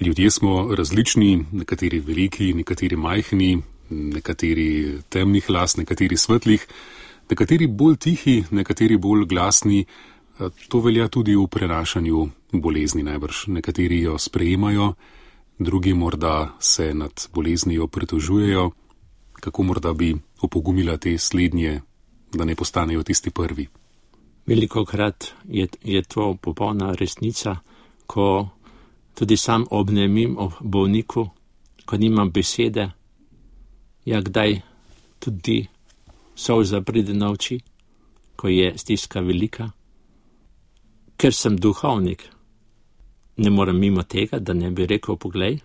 Ljudje smo različni, nekateri veliki, nekateri majhni, nekateri temnih las, nekateri svetlih, nekateri bolj tihi, nekateri bolj glasni. To velja tudi v prenašanju bolezni najbrž. Nekateri jo sprejemajo, drugi morda se nad boleznijo pritožujejo. Kako morda bi opogumila te slednje, da ne postanejo tisti prvi? Velikokrat je to popolna resnica, ko tudi sam obnemim o bolniku, ko nimam besede, kdaj tudi solza pride na oči, ko je stiska velika. Ker sem duhovnik, ne morem mimo tega, da ne bi rekel, poglej,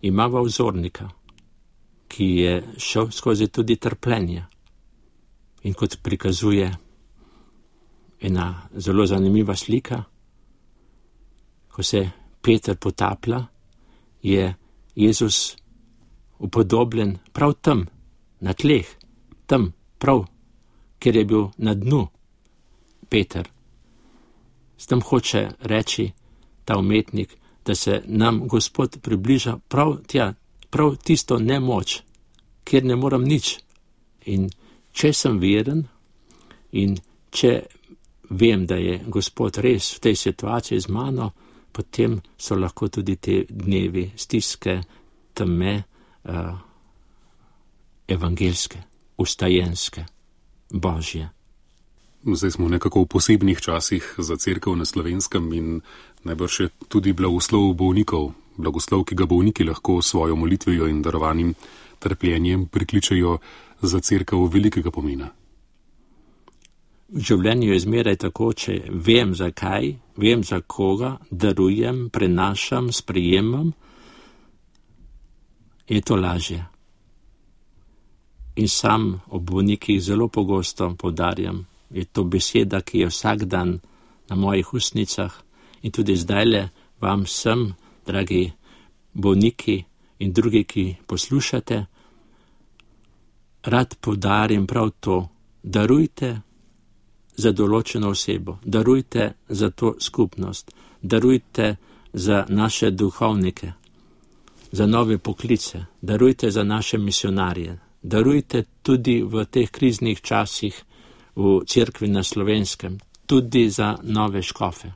imava vzornika, ki je šel skozi tudi trpljenje. In kot prikazuje ena zelo zanimiva slika, ko se Peter potaplja, je Jezus upodobljen prav tam, na tleh, tam, prav, kjer je bil na dnu Peter. S tem hoče reči ta umetnik, da se nam Gospod približa prav tja, prav tisto nemoč, kjer ne moram nič. In če sem veren in če vem, da je Gospod res v tej situaciji z mano, potem so lahko tudi te dnevi stiske, teme, evangelske, ustajenske, božje. Zdaj smo nekako v posebnih časih za cerkev na Slovenskem in najbrž je tudi blagoslov bolnikov, blagoslov, ki ga bolniki lahko svojo molitvijo in darovanim trpljenjem prikličejo za cerkev velikega pomena. V življenju je zmeraj tako, če vem zakaj, vem za koga, darujem, prenašam, sprejemam, je to lažje. In sam ob bolnikih zelo pogosto poudarjam, je to beseda, ki je vsak dan na mojih ustnicah in tudi zdajle vam vsem, dragi bolniki in drugi, ki poslušate, rad poudarim prav to, darujte za določeno osebo, darujte za to skupnost, darujte za naše duhovnike, za nove poklice, darujte za naše misionarje, darujte tudi v teh kriznih časih v cerkvi na Slovenskem, tudi za nove škofe.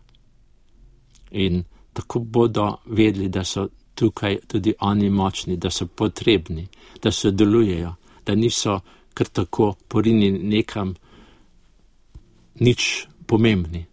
In tako bodo vedeli, da so tukaj tudi oni močni, da so potrebni, da sodelujejo, da niso kar tako porinjeni nekam nič pomembni.